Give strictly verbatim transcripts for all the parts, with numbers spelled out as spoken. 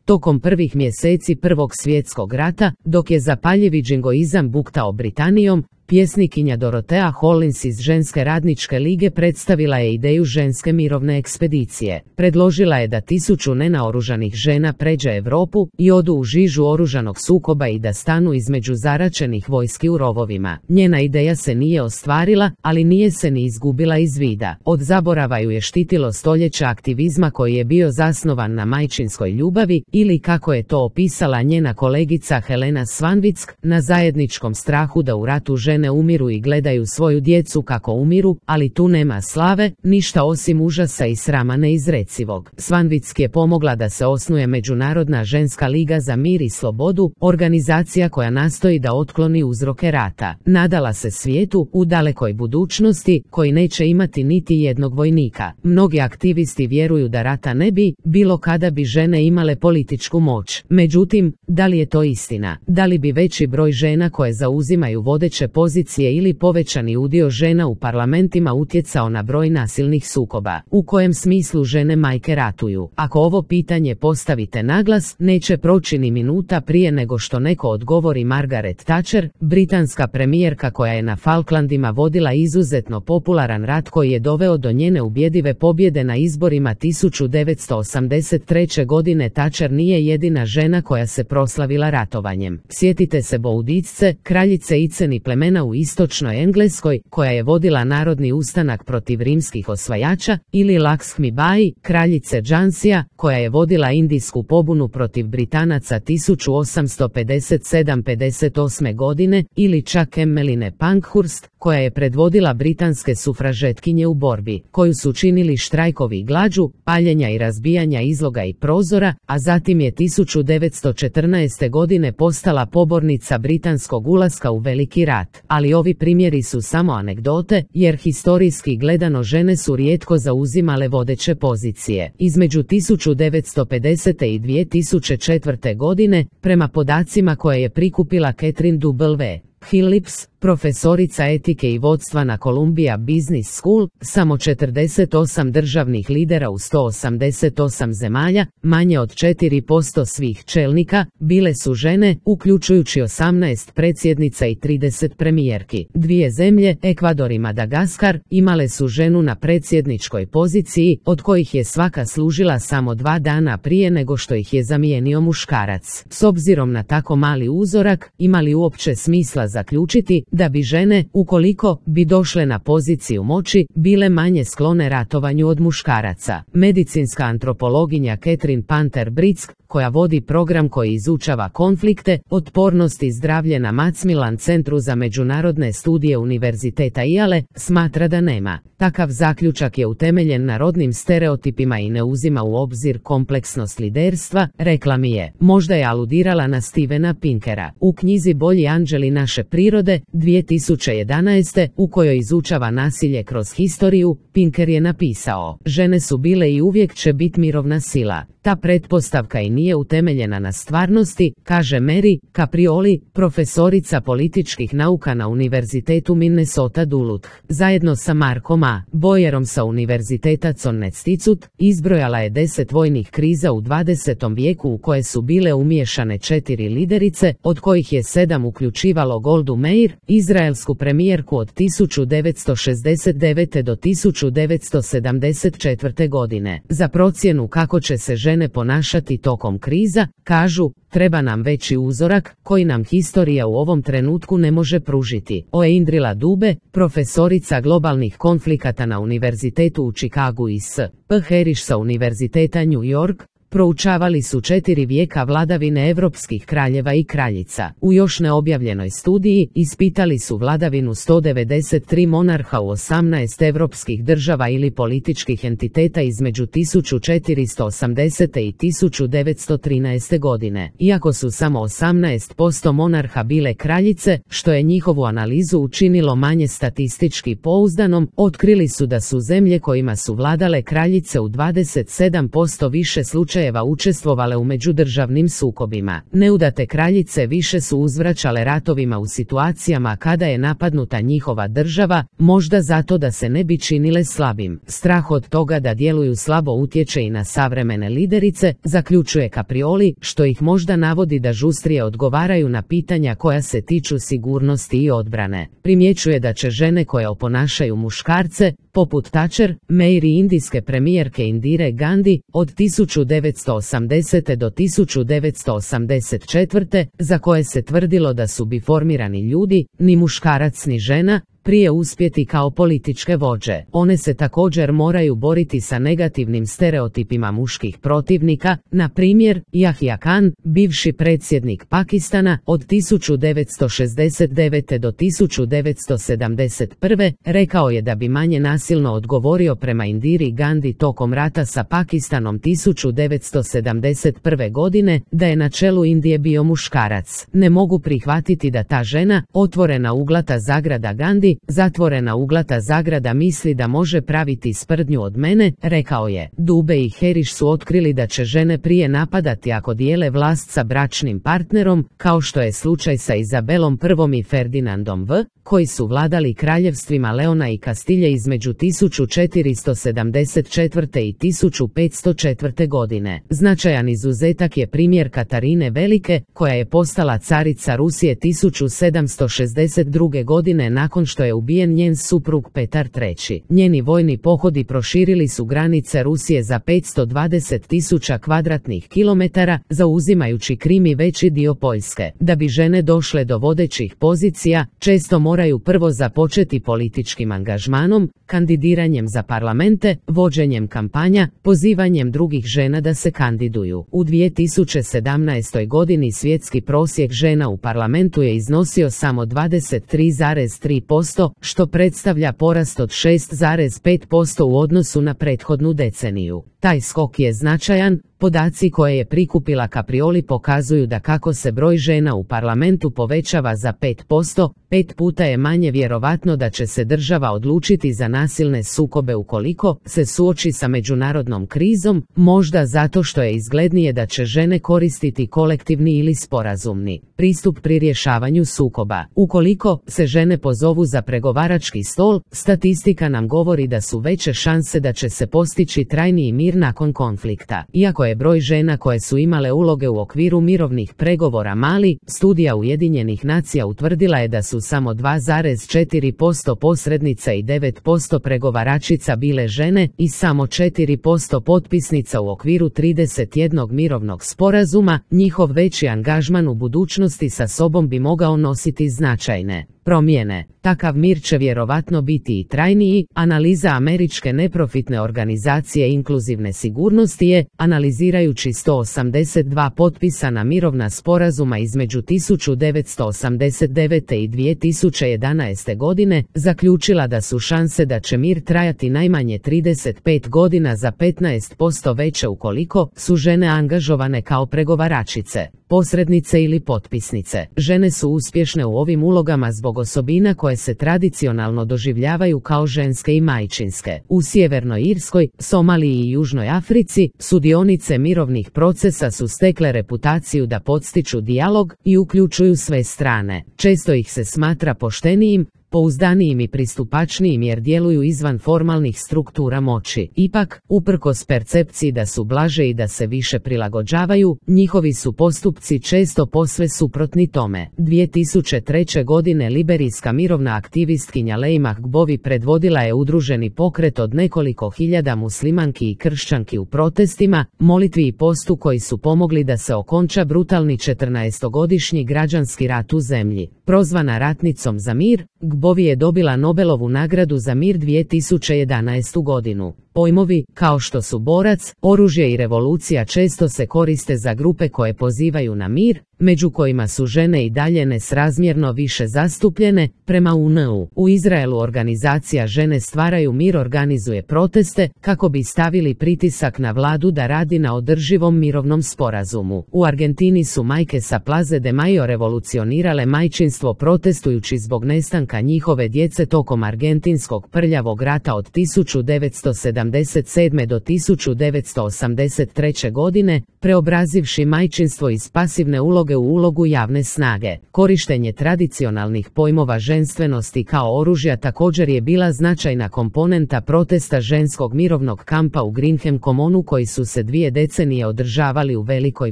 Tokom prvih mjeseci Prvog svjetskog rata, dok je zapaljivi džingoizam buktao Britanijom, pjesnikinja Dorotea Hollins iz Ženske radničke lige predstavila je ideju ženske mirovne ekspedicije. Predložila je da tisuću nenaoružanih žena pređe Europu i odu u žižu oružanog sukoba i da stanu između zaračenih vojski u rovovima. Njena ideja se nije ostvarila, ali nije se ni izgubila iz vida. Od zaborava ju je štitilo stoljeća aktivizma koji je bio zasnovan na majčinskoj ljubavi, ili kako je to opisala njena kolegica Helena Svanvitsk, na zajedničkom strahu da u ratu žene umiru i gledaju svoju djecu kako umiru, ali tu nema slave, ništa osim užasa i srama neizrecivog. Svanvitsk je pomogla da se osnuje Međunarodna ženska liga za mir i slobodu, organizacija koja nastoji da otkloni uzroke rata. Nadala se svijetu, u dalekoj budućnosti, koji neće imati niti jednog vojnika. Mnogi aktivisti vjeruju da rata ne bi bilo kada bi žene imale političku moć. Međutim, da li je to istina? Da li bi veći broj žena koje zauzimaju vodeće pozicije ili povećani udio žena u parlamentima utjecao na broj nasilnih sukoba? U kojem smislu žene majke ratuju? Ako ovo pitanje postavite naglas, neće proći ni minuta prije nego što neko odgovori Margaret Thatcher, britanska premijerka koja je na Falklandima vodila izuzetno popularan rat koji je doveo do njene ubjedive pobjede na izborima tisuću devetsto osamdeset treće. godine. Thatcher nije jedina žena koja se proslavila ratovanjem. Sjetite se Boudicce, kraljice Iceni plemena u istočnoj Engleskoj, koja je vodila narodni ustanak protiv rimskih osvajača, ili Lakshmi Bai, kraljice Džansija, koja je vodila indijsku pobunu protiv Britanaca tisuću osamsto pedeset sedam pedeset osme. godine, ili čak Emmeline Pankhurst, koja je predvodila britanske sufražetkinje u borbi, koju su činili štrajkovi i glađu, paljenja i razbijanja izloga i prozora, a zatim je tisuću devetsto četrnaeste. godine postala pobornica britanskog ulaska u Veliki rat. Ali ovi primjeri su samo anegdote, jer historijski gledano žene su rijetko zauzimale vodeće pozicije. Između tisuću devetsto pedesete. i dvije tisuće četvrte. godine, prema podacima koje je prikupila Catherine W. Phillips, profesorica etike i vodstva na Columbia Business School, samo četrdeset osam državnih lidera u sto osamdeset osam zemalja, manje od četiri posto svih čelnika, bile su žene, uključujući osamnaest predsjednica i trideset premijerki. Dvije zemlje, Ekvador i Madagaskar, imale su ženu na predsjedničkoj poziciji, od kojih je svaka služila samo dva dana prije nego što ih je zamijenio muškarac. S obzirom na tako mali uzorak, ima li uopće smisla zaključiti da bi žene, ukoliko bi došle na poziciju moći, bile manje sklone ratovanju od muškaraca? Medicinska antropologinja Catherine Panther Brick, koja vodi program koji izučava konflikte, otpornost i zdravlje na Macmillan Centru za međunarodne studije Univerziteta Yale, smatra da nema. Takav zaključak je utemeljen na rodnim stereotipima i ne uzima u obzir kompleksnost liderstva, rekla mi je. Možda je aludirala na Stevena Pinkera. U knjizi Bolji anđeli naše prirode, dvije tisuće jedanaeste. u kojoj izučava nasilje kroz historiju, Pinker je napisao: žene su bile i uvijek će biti mirovna sila. Ta pretpostavka i nije utemeljena na stvarnosti, kaže Mary Caprioli, profesorica političkih nauka na Univerzitetu Minnesota Duluth. Zajedno sa Markom A. Boyerom sa Univerziteta Connecticut, izbrojala je deset vojnih kriza u dvadesetom vijeku u koje su bile umiješane četiri liderice, od kojih je sedam uključivalo Goldu Meir, izraelsku premijerku od tisuću devetsto šezdeset devete. do tisuću devetsto sedamdeset četvrte. godine. Za procjenu kako će se žene ponašati tokom kriza, kažu, treba nam veći uzorak, koji nam historija u ovom trenutku ne može pružiti. Oeindrila Dube, profesorica globalnih konflikata na Univerzitetu u Chicagu i S. P. Harris sa Univerziteta New York, proučavali su četiri vijeka vladavine evropskih kraljeva i kraljica. U još neobjavljenoj studiji ispitali su vladavinu sto devedeset tri monarha u osamnaest evropskih država ili političkih entiteta između tisuću četiristo osamdesete. i tisuću devetsto trinaeste. godine. Iako su samo osamnaest posto monarha bile kraljice, što je njihovu analizu učinilo manje statistički pouzdanom, otkrili su da su zemlje kojima su vladale kraljice u dvadeset sedam posto više slučajeva slučajeva učestvovale u međudržavnim sukobima. Neudate kraljice više su uzvraćale ratovima u situacijama kada je napadnuta njihova država, možda zato da se ne bi činile slabim. Strah od toga da djeluju slabo utječe i na savremene liderice, zaključuje Caprioli, što ih možda navodi da žustrije odgovaraju na pitanja koja se tiču sigurnosti i odbrane. Primjećuje da će žene koje oponašaju muškarce, poput Thatcher, May i indijske premijerke Indire Gandhi, od tisuću devetsto osamdesete do tisuću devetsto osamdeset četvrte, za koje se tvrdilo da su biformirani ljudi, ni muškarac ni žena, prije uspjeti kao političke vođe. One se također moraju boriti sa negativnim stereotipima muških protivnika, na primjer, Yahya Khan, bivši predsjednik Pakistana, od tisuću devetsto šezdeset devete do tisuću devetsto sedamdeset prve, rekao je da bi manje nasilno odgovorio prema Indiri Gandhi tokom rata sa Pakistanom tisuću devetsto sedamdeset prve godine, da je na čelu Indije bio muškarac. Ne mogu prihvatiti da ta žena, otvorena uglata zagrada Gandhi, zatvorena uglata zagrada misli da može praviti sprdnju od mene, rekao je. Dube i Heriš su otkrili da će žene prije napadati ako dijele vlast sa bračnim partnerom, kao što je slučaj sa Izabelom I i Ferdinandom V, koji su vladali kraljevstvima Leona i Kastilje između tisuću četiristo sedamdeset četvrte i tisuću petsto četvrte godine. Značajan izuzetak je primjer Katarine Velike, koja je postala carica Rusije tisuću sedamsto šezdeset druge godine nakon što je ubijen njen suprug Petar treći. Njeni vojni pohodi proširili su granice Rusije za petsto dvadeset tisuća kvadratnih kilometara, zauzimajući Krim i veći dio Poljske. Da bi žene došle do vodećih pozicija, često moraju prvo započeti političkim angažmanom, kandidiranjem za parlamente, vođenjem kampanja, pozivanjem drugih žena da se kandiduju. U dvije tisuće sedamnaestoj godini svjetski prosjek žena u parlamentu je iznosio samo dvadeset tri zarez tri posto, što predstavlja porast od šest zarez pet posto u odnosu na prethodnu deceniju. Taj skok je značajan. Podaci koje je prikupila Caprioli pokazuju da kako se broj žena u parlamentu povećava za pet posto, pet puta je manje vjerovatno da će se država odlučiti za nasilne sukobe ukoliko se suoči sa međunarodnom krizom, možda zato što je izglednije da će žene koristiti kolektivni ili sporazumni pristup pri rješavanju sukoba. Ukoliko se žene pozovu za pregovarački stol, statistika nam govori da su veće šanse da će se postići trajniji mir nakon konflikta. Iako je broj žena koje su imale uloge u okviru mirovnih pregovora mali, studija Ujedinjenih nacija utvrdila je da su samo dva zarez četiri posto posrednica i devet posto pregovaračica bile žene i samo četiri posto potpisnica u okviru trideset jednog mirovnog sporazuma. Njihov veći angažman u budućnosti sa sobom bi mogao nositi značajne promjene. Takav mir će vjerovatno biti i trajniji. Analiza američke neprofitne organizacije inkluzivne sigurnosti je, analizirajući sto osamdeset dva potpisana mirovna sporazuma između tisuću devetsto osamdeset devete i dvije tisuće jedanaeste godine, zaključila da su šanse da će mir trajati najmanje trideset pet godina za petnaest posto veće ukoliko su žene angažovane kao pregovaračice, posrednice ili potpisnice. Žene su uspješne u ovim ulogama zbog osobina koje se tradicionalno doživljavaju kao ženske i majčinske. U Sjevernoj Irskoj, Somaliji i Južnoj Africi, sudionice mirovnih procesa su stekle reputaciju da podstiču dijalog i uključuju sve strane. Često ih se smatra poštenijim, pouzdanijim i pristupačnijim jer djeluju izvan formalnih struktura moći. Ipak, uprkos percepciji da su blaže i da se više prilagođavaju, njihovi su postupci često posve suprotni tome. dvije tisuće treće godine liberijska mirovna aktivistkinja Leymah Gbowee predvodila je udruženi pokret od nekoliko hiljada muslimanki i kršćanki u protestima, molitvi i postu koji su pomogli da se okonča brutalni četrnaestogodišnji građanski rat u zemlji. Prozvana ratnicom za mir, Gbowee je dobila Nobelovu nagradu za mir dvije tisuće jedanaestu godinu. Pojmovi, kao što su borac, oružje i revolucija često se koriste za grupe koje pozivaju na mir, među kojima su žene i dalje nesrazmjerno više zastupljene, prema U N U. U Izraelu organizacija Žene stvaraju mir organizuje proteste kako bi stavili pritisak na vladu da radi na održivom mirovnom sporazumu. U Argentini su majke sa Plaze de Mayo revolucionirale majčinstvo protestujući zbog nestanka njihove djece tokom argentinskog prljavog rata od tisuću devetsto sedamdeset sedamdeset sedme do tisuću devetsto osamdeset treće godine, preobrazivši majčinstvo iz pasivne uloge u ulogu javne snage. Korištenje tradicionalnih pojmova ženstvenosti kao oružja također je bila značajna komponenta protesta ženskog mirovnog kampa u Greenham Commonu koji su se dvije decenije održavali u Velikoj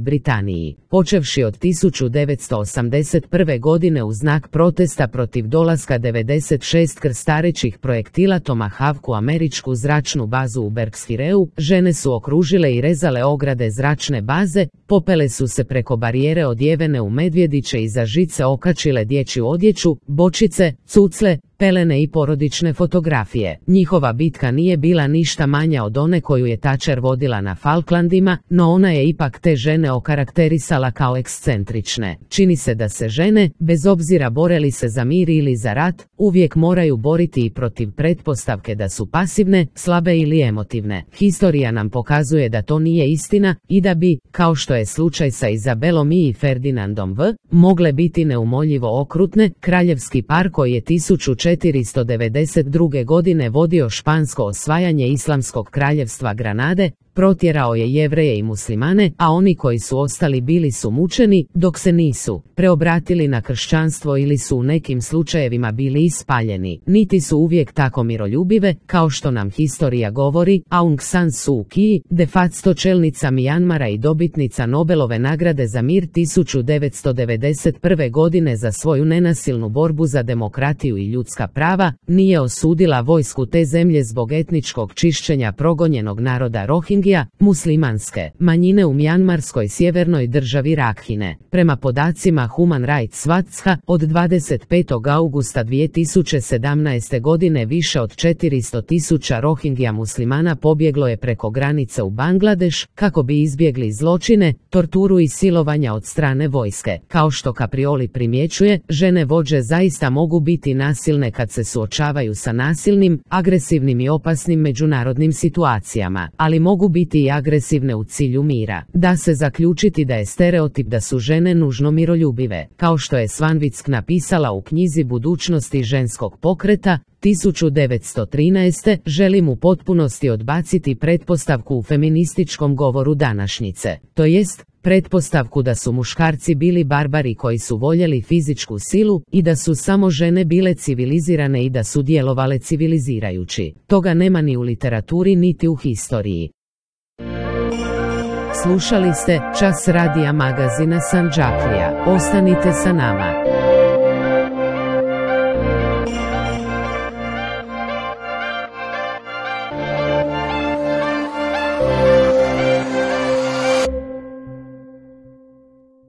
Britaniji. Počevši od tisuću devetsto osamdeset prve godine u znak protesta protiv dolaska devedeset šest krstarećih projektila Tomahawk u američku zračnu bazu u Berkshireu, žene su okružile i rezale ograde zračne baze, popele su se preko barijere odjevene u medvjediće i za žice okačile dječju odjeću, bočice, cucle, pelene i porodične fotografije. Njihova bitka nije bila ništa manja od one koju je Thatcher vodila na Falklandima, no ona je ipak te žene okarakterisala kao ekscentrične. Čini se da se žene, bez obzira bore li se za mir ili za rat, uvijek moraju boriti i protiv pretpostavke da su pasivne, slabe ili emotivne. Historija nam pokazuje da to nije istina i da bi, kao što je slučaj sa Izabelom I i Ferdinandom V, mogle biti neumoljivo okrutne. Kraljevski par koji je tisuću četiristo devedeset druge. godine vodio špansko osvajanje Islamskog kraljevstva Granade, protjerao je Jevreje i Muslimane, a oni koji su ostali bili su mučeni, dok se nisu preobratili na kršćanstvo ili su u nekim slučajevima bili ispaljeni. Niti su uvijek tako miroljubive, kao što nam historija govori. Aung San Suu Kyi, de facto čelnica Mijanmara i dobitnica Nobelove nagrade za mir tisuću devetsto devedeset prve. godine za svoju nenasilnu borbu za demokratiju i ljudska prava, nije osudila vojsku te zemlje zbog etničkog čišćenja progonjenog naroda Rohingya, muslimanske manjine u Mjanmarskoj sjevernoj državi Rakhine. Prema podacima Human Rights Watcha, od dvadeset petog augusta dvije tisuće sedamnaeste. godine više od četiristo tisuća Rohingya muslimana pobjeglo je preko granice u Bangladeš, kako bi izbjegli zločine, torturu i silovanja od strane vojske. Kao što Caprioli primjećuje, žene vođe zaista mogu biti nasilne kad se suočavaju sa nasilnim, agresivnim i opasnim međunarodnim situacijama, ali mogu biti i agresivne u cilju mira. Da se zaključiti da je stereotip da su žene nužno miroljubive, kao što je Swanwick napisala u knjizi Budućnosti ženskog pokreta tisuću devetsto trinaeste. želim u potpunosti odbaciti pretpostavku u feminističkom govoru današnjice, to jest pretpostavku da su muškarci bili barbari koji su voljeli fizičku silu i da su samo žene bile civilizirane i da su djelovale civilizirajući. Toga nema ni u literaturi niti u historiji. Slušali ste Čas radija magazina Sandžaklija. Ostanite sa nama.